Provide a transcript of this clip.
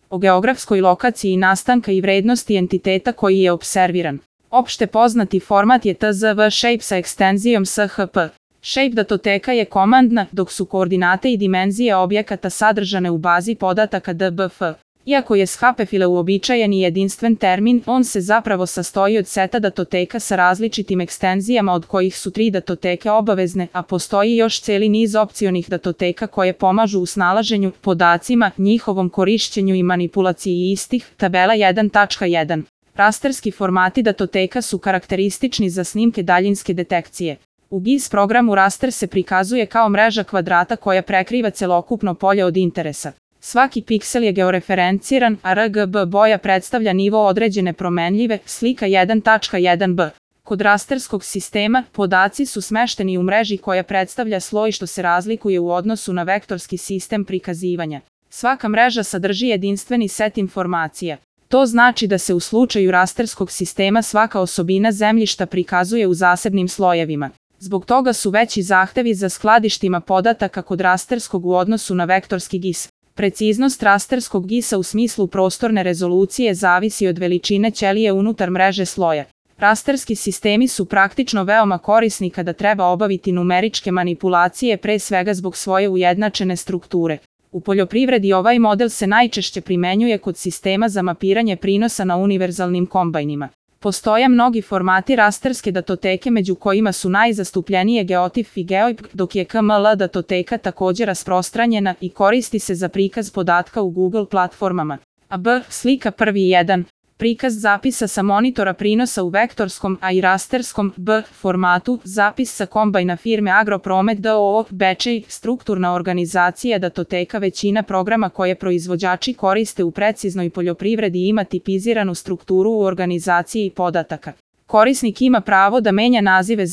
o geografskoj lokaciji nastanka i vrednosti entiteta koji je observiran. Opšte poznati format je TZV shape sa ekstenzijom SHP. Shape datoteka je komandna, dok su koordinate i dimenzije objekata sadržane u bazi podataka DBF. Iako je SHP-file uobičajen i jedinstven termin, on se zapravo sastoji od seta datoteka sa različitim ekstenzijama od kojih su 3 datoteke obavezne, a postoji još celi niz opcionih datoteka koje pomažu u snalaženju podacima, njihovom korišćenju i manipulaciji istih. Tabela 1.1. Rasterski formati datoteka su karakteristični za snimke daljinske detekcije. U GIS programu raster se prikazuje kao mreža kvadrata koja prekriva celokupno polje od interesa. Svaki piksel je georeferenciran, a RGB boja predstavlja nivo određene promenljive, slika 1.1b. Kod rasterskog sistema, podaci su smešteni u mreži koja predstavlja sloj što se razlikuje u odnosu na vektorski sistem prikazivanja. Svaka mreža sadrži jedinstveni set informacija. To znači da se u slučaju rasterskog sistema svaka osobina zemljišta prikazuje u zasebnim slojevima. Zbog toga su veći zahtevi za skladištima podataka kod rasterskog u odnosu na vektorski GIS. Preciznost rasterskog GIS-a u smislu prostorne rezolucije zavisi od veličine ćelije unutar mreže sloja. Rasterski sistemi su praktično veoma korisni kada treba obaviti numeričke manipulacije, pre svega zbog svoje ujednačene strukture. U poljoprivredi ovaj model se najčešće primenjuje kod sistema za mapiranje prinosa na univerzalnim kombajnima. Postoje mnogi formati rasterske datoteke među kojima su najzastupljenije GeoTIFF i GeoIPG, dok je KML datoteka također rasprostranjena i koristi se za prikaz podatka u Google platformama. B. Slika 1.1. Prikaz zapisa sa monitora prinosa u vektorskom, a i rasterskom formatu, zapis sa kombajna firme Agropromet d.o.o. Bečej, strukturna organizacija datoteka. Većina programa koje proizvođači koriste u preciznoj poljoprivredi ima tipiziranu strukturu u organizaciji podataka. Korisnik ima pravo da menja nazive